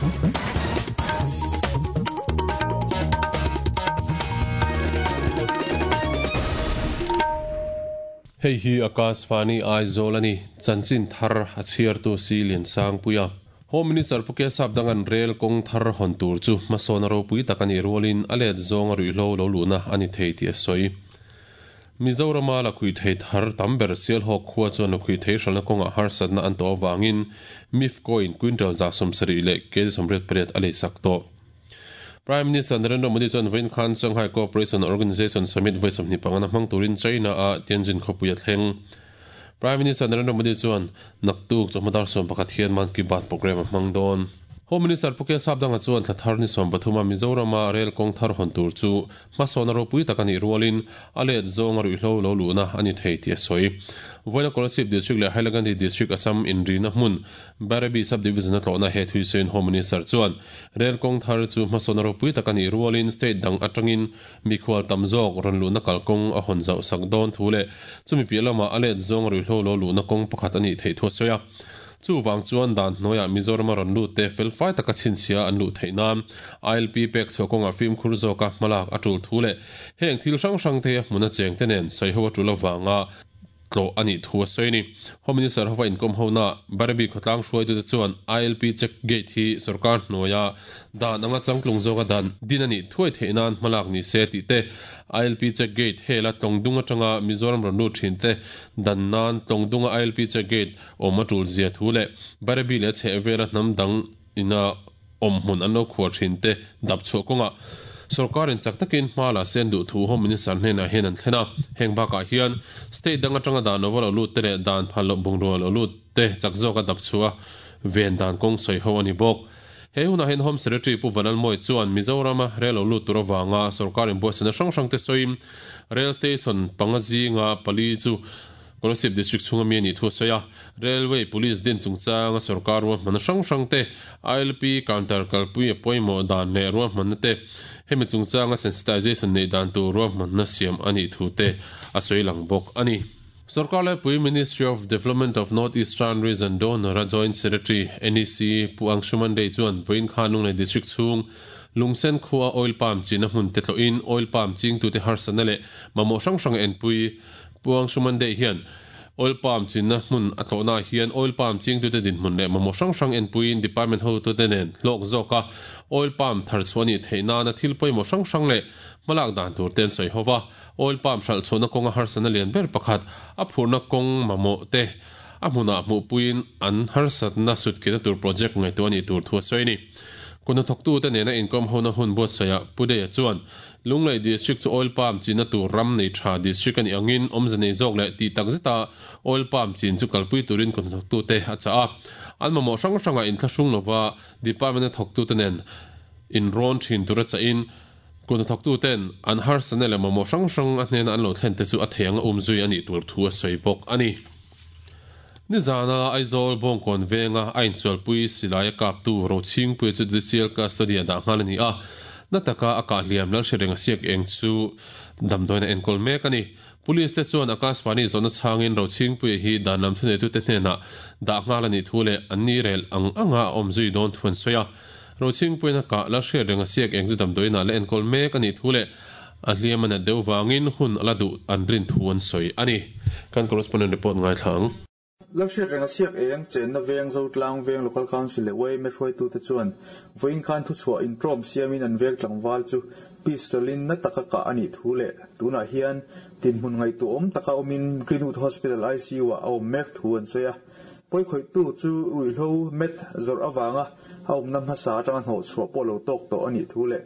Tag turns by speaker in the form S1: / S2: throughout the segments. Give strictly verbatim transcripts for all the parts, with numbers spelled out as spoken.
S1: Hei hi Akashvani Aizawl ani chanchin thar a chhiartu si lian sang puia Home Minister Puke Sapdangan rail kong thar hon tur chu hmasawn ropui tak ani rualin a let zawng a ruihhlo lo luhna ani thei tih a sawi. Mizorama la khui thei thar tam ber Sialhawk khua chuan la khui thei hralna kawngah harsatna an tawh avangin MIFCO in quintal za sawmsarih leh kg sawmriat pariat a lei sak tawh. Prime Minister Narendra Modi chuan vawiin khan Shanghai Cooperation Organization Summit vawi sawmhnih pangana hmang turin China a Tianjin khawpui a thleng. Prime Minister Narendra Modi chuan naktuk chawhma dar sawm pakhat hian Mann Ki Baat program a hmang dawn. Home Minister Puke Sapdanga chuan thla thar ni sawm pathuma Mizorama rail kawng thar hawn tur chu hmasawn ropui tak ani rualin a let zawng a ruihhlo lo luhna ani thei tih a sawi. Vawiina Kolasib District leh Hailakandi District Assam inrina hmun Bairabi Sub-Division a tlawhna he thuisawiin Home Minister chuan rail kawng thar chu hmasawn ropui tak ani rualin state dang atangin mikhual tam zawk rawn luhna kalkawng a hawn zauh sak dawn thu leh chumi piah lamah a let zawng a ruihhlo lo luhna kawng pakhat ani theih thu a sawi a. Chu wang chuan dan hnuaiah Mizorama rawn lut te felfai taka chhinchhia an luh theih nan I L P pek chhuah kawngah fimkhur zawka hmalak a tul thu leh heng thil hrang hrang te hmun a cheng te nen sawiho a tul avanga tlawh a nih thu a sawi a ni. Home Minister hova inkawm hona Bairabi khawtlang hruaitute chuan I L P check gate hi sarkar hnuaia dan anga changtlung zawka dan din a nih thuai theih nan hmalak ni se tih te I L P check gate hela tlawngdung atanga Mizoram rawn lut thin te dan nan tlawngdunga I L P check gate awm a tul zia thu leh Bairabi leh chheh vela hnam dang ina awm hmun an lo khuar thin te dap chhuah kawngah sarkarin chak takin hma la sen duh thu Home Minister hnenah hian an thlen a. Heng bakah hian state dang atanga dan lo lo lut te leh dan phal lo bungrua lo lut te chak zawka dap chhuah ven dan kawng sawi ho ani bawk. He hunah hian Home Secretary Pu Vanlalmawi chuan Mizorama rail lo lut tur awanga sarkarin buaisana hrang hrang te sawiin rail station panga zinga pali chu Kolasib District chhunga mi ani thu a sawi a. Railway Police din chungchanga sarkar ruahmanna hrang hrang te I L P counter kalpui a pawimawh dan leh ruahmanna te hemi chungchanga sensitization nei dan tur ruahmanna siam ani thu te a sawi lang bawk ani. Sarkar Laipui Ministry of Development of North Eastern Region Donor a Joint Secretary N E C Pu Angshuman Dey chuan vawiin khan Lunglei District chhung Lungsen khua oil palm china hmun te tlawhin oil palm chingtute harsatna leh mamawh hrang hrang enpui Pu Angshuman Dey hian oil palm china hmun a tlawhna hian oil palm chingtute dinhmun leh mamawh hrang hrang enpuiin department hotute nen hlawk zawka oil palm thar chhuah ani theih nana thil pawimawh hrang hrang leh hmalak dan tur ten sawi hova oil palm hralh chhuahna kawnga harsatna lian ber pakhat a phurna kawng mamawh te a hmunah hmuhpuiin an harsatna sutkina tur project ngaihtuah ani tur thu a sawi ani. Kuna thawktu te nena inkawm hona hun buatsawiah Pu Dey chuan Lunglei District chu oil palm china tur ram nei tha district ani angin awmze nei zawk leh tih tak zeta oil palm chin chu kalpui turin kuna thawktu te a chah a. An mamawh hrang hrangah inthlahrung lova department a thawktu te nen inrawn thin tur a chahin kuna thawktu ten an harsatna leh mamawh hrang hrang a hnena an lo thlen te chu a thei anga umzui ani tur thu a sawi bawk ani. Nizana Aizawl Bawngkawn venga a insualpui silai a kaptu Rochingpui chu judicial custody a dah nghal ani a. Na taka a kah hliam Lalhriatrenga siak eng chu damdawiin a enkawl mek ani. Police te chuan Akashvani zawhna chhangin Rochingpui hi dan lam thuneitute hnenah dah nghal ani thu leh an ni rel ang anga a awm zui dawn thu an sawi a. Rochingpuiin a kah Lalhriatrenga siak eng chu damdawiin a la enkawl mek ani thu leh a hliam a nat deuh vangin hun a la duh an rin thu an sawi ani. Kan correspondent report ngai thlang.
S2: Lalhriatrenga siak eng chenna veng Zotlang veng Local Council leh Y M A hruaitute chuan vawiin khan thu chhuah intrawm siamin an veng tlangval chu pistolin na taka kah ani thu leh tunah hian tinhmun ngaihtuah awm taka awmin Greenwood Hospital I C U ah a awm mek thu an sawi a. Pawikhawihtu chu ruihhlo met zawrh awanga a awmna hmasa atanga hnawh chhuah pawh lo tawk tawh ani thu leh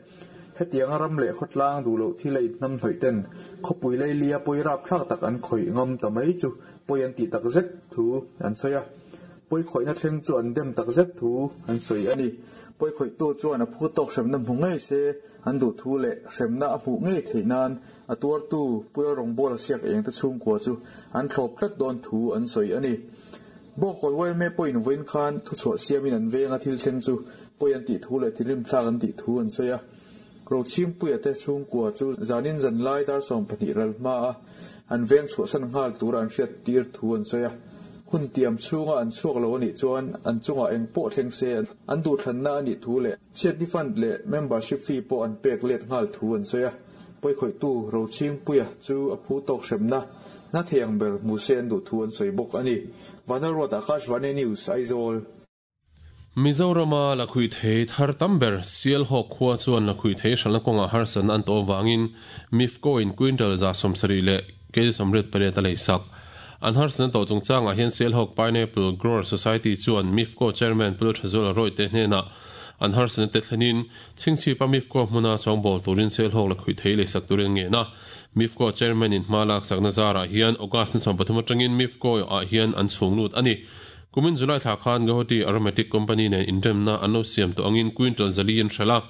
S2: hetianga ram leh khawtlang duh loh thil a inhnam hnawih ten khawpui leilia pawi rap thlak tak an khawih ngam ta mai chu pawi an tih tak zet thu an sawi a. Pawi khawihna thleng chu an dem tak zet thu an sawi ani. Pawi khawihtu chuan a phu tawk hremna hmu ngei se an duh thu leh hremna a hmuh ngei theih nan a tuartu Pula rawngbâwl a siak eng te chhungkua chu an thlawp tlat dawn thu an sawi ani. Bawngkawn Y M A pawhin vawiin khan thu chhuah siamin an venga thil thleng chu pawi an tih thu leh thinrim thlak an tih thu an sawi a. Rochingpuia te chhungkua chu zanin zan lai dar sawm pahnih ral hma a an veng chhuah san nghal tur an hriat tir thu an sawi a. Hun tiam chhunga an chhuak lo anih chuan an chungah eng pawh thleng se an duh thlanna anih thu leh chhiatni fund leh membership fee pawh an pek let nghal thu an sawi a. Pawikhawihtu Rochhingpuia chu a phu tawk hremna na thei ang ber hmu se an duh thu an sawi bawk a ni. Vanlalruat Akashvani News, Aizawl.
S1: Mizorama lakhuih thei thar tam ber Sialhawk khua chuan lakhuih thei hralhna kawngah harsatna an tawh avangin MIFCO in quintal za sawmsarih leh kg sawmriat pariat a lei sak. An harsatna tawh chungchangah hian Sialhawk Pineapple Grower Society chuan MIFCO chairman Pu Thazuala Roy te hnenah an harsatna te thlenin chhingchhipa MIFCO hmuna sawngbawl turin Sialhawk lakhuih thei lei sak turin an ngen a. MIFCO chairman in hma lak sakna zarah hian August ni sawm pathum atangin MIFCO ah hian an chhung lut a ni. Kumin July thla khan Guwahati Aromatic Company nen inremna an lo siam tawh angin quintal zali an hralh a.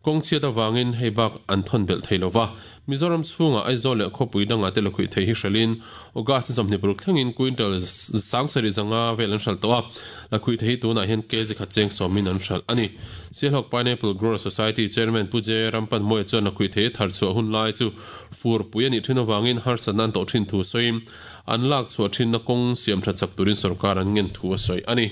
S1: Kawng chhiat avangin hei bak an thawn belh thei lova. Mizoram chhungah Aizawl leh khawpui dangah te lakhuih thei hi hralhin August ni sawmhnih paruk thlengin quintal sangsarih zanga vel an hralh tawh a. Lakhuih thei hi tunah hian kg khat cheng sawmin an hralh a ni. Sialhawk Pineapple Grower Society Chairman Pu J Rampanmawia chuan lakhuih thei thar chhuah hun lai chu furpui a nih thin avangin harsatna an tawh thin thu sawiin an lak chhuah thinna kawng siam tha chak turin sorkar an ngen thu a sawi a ni.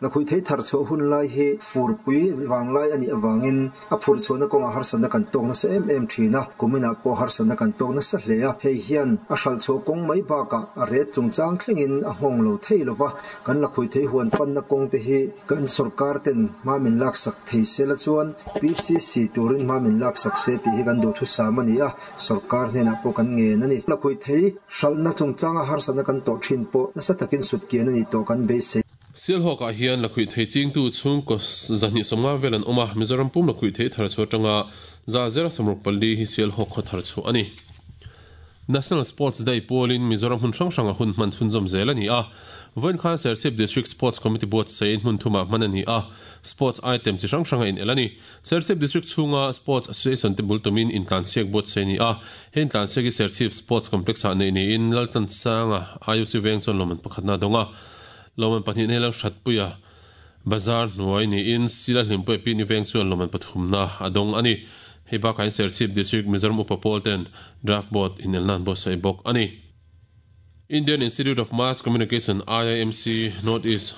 S3: Lakhuih thei thar chhuah hun lai hi furpui vanglai a nih avangin a phurh chhuahna kawngah harsatna kan tawk nasa em em thin a, kuminah pawh harsatna kan tawk nasa hle a. Hei hian a hralh chhuah kawng mai bakah a ret chungchang thlengin a nghawng lo thei lova, kan lakhuih thei huan panna kawng te hi kan sorkar ten hma min laksak thei se la chuan P C C turin hma min laksak se tih hi kan duhthusam a ni a, sorkar hnenah pawh kan ngen a ni. Lakhuih thei hralhna chungchanga harsatna kan tawh thin pawh nasa takin sutkian a ni tawh kan beisei.
S1: Sialhawkah hian lakhuih thei chingtu chhungkaw zahnih sawmnga vel an awm a, Mizoram pum lakhuih thei thar chhuah atanga za zera sawmruk pali hi Sialhawk khaw thar chhuah a ni. National Sports Day pawlin Mizoram hmun hrang hranga hun hman chhunzawm zel a ni a. Vawiin khan Serchhip District Sports Committee buatsaih hmun thumah hman a ni a, sports item chi hrang hranga inel a ni. Serchhip District chhunga Sports Association te bul tumin intlansiak buatsaih a ni a, he intlansiak hi Serchhip Sports Complex-ah neih niin Laltlansanga I U C veng chuan lawmman pakhatna a dawng a. Lawmman pahnih nei lo hratpuia bazar hnuai niin Sila Hlimpuia Pini veng chuan lawmman pathumna a dawng a ni. Hei bakah hian Serchhip District Mizoram Upa Pawl ten draft board inelna an buatsaih bawk a ni. Indian Institute of Mass Communication, I I M C, North East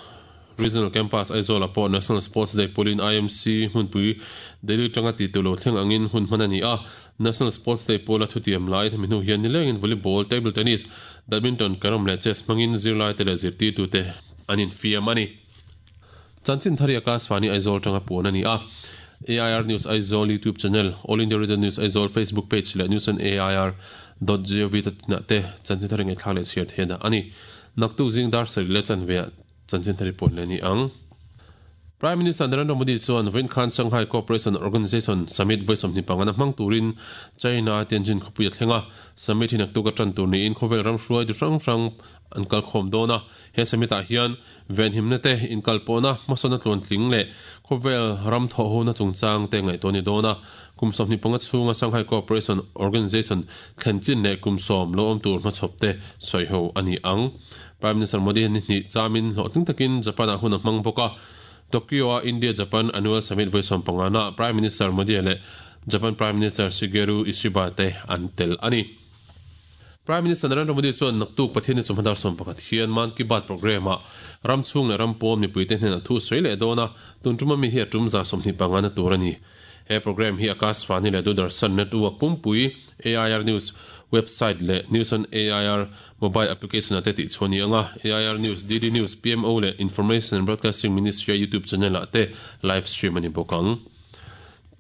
S1: Regional Campus Aizawl-ah pawh National Sports Day pawlin I M C hmunpui Delhi tanga ti tu lo thleng angin hun hman a ni a. National Sports Day pawla thutiam lai hemi hnu hian nilengin volleyball, table tennis, badminton, carrom leh chess hmangin zirlai te leh zirtirtu te an infiam a ni. Chanchin thari Akashvani Aizawl tanga puan a ni a. A I R News Aizawl YouTube channel, All India Radio News Aizawl Facebook page leh news on A I R dot gov dot in ah te chanchin thari ngaihthlak leh chhiar theih dah a ni. Naktuk zing dar sarih leh chanve ah chanchin thari puan leh ni ang. Prime Minister Narendra Modi chuan vawiin khan Shanghai Cooperation Organization Summit vawi sawmhnih pangana hmang turin China Tianjin khawpui a thleng a. Summit hi naktuk a tan tur niin khawvel ram hruai du hrang hrang an kal khawm dawn a. He summit ah hian venhimna te inkal pawhna hmasawna tluan tling leh khawvel ram thawh hona chungchang te ngaihtuah ni dawn a. Kum sawmhnih panga chhunga Shanghai Cooperation Organization thlen chin leh kum sawm lo awm tur hmachhawp te sawi ho a ni ang. Prime Minister Modi hian ni hnih chamin hlawhtling takin Japan ah hun a hmang bawk a. Tokyo a India-Japan Annual Summit vawi sawm pangana Prime Minister Modi leh Japan Prime Minister Shigeru Ishiba te an tel a ni. Prime Minister Narendra Modi chuan naktuk Pathian ni chawhmadar sawm pakhat hian Mann Ki Baat programme ah ram chhung leh ram pawm mipui te hnenah thu sawi leh dawn a, tun tuma mi hi a tum za sawmhnih pangana tur a ni. He programme hi Akashvani leh Doordarshan Network pumpui A I R News website leh News on A I R mobile application ah te tih chhuah ni anga A I R News, D D News, P M O leh Information and Broadcasting Ministry YouTube channel ah te live stream a ni bawk ang.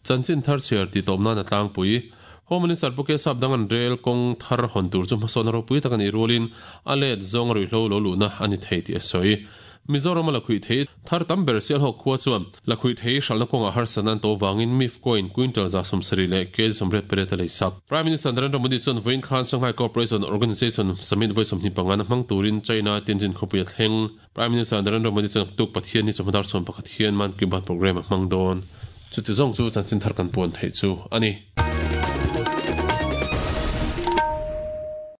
S1: Chanchin thar chhiar ti tawp nan a tlangpui. Home Minister Pu Kesap dang an rel kawng thar hawn tur chu hmasawn a ropui tak a nih rualin a let zawng a ruihhlo lo luhna a ni thei tih a sawi. Mizoram a lakhuih thei thar tam ber Sialhawk khua chuan lakhuih thei hralhna kawngah harsatna an tawh vangin MIFCO in quintal za sawmsarih leh kg sawmriat pariat a lei sak. Prime Minister Narendra Modi chuan vawiin khan Shanghai Cooperation Organization Summit vawi sawmhnih pangana hmang turin China Tianjin khawpui a thleng. Prime Minister Narendra Modi chuan tuk Pathian ni chawhmadar chhuan pakhat hian Mann Ki Baat programme a hmang dawn. Chuti zawng chu chanchin thar kan puan theih chu a ni.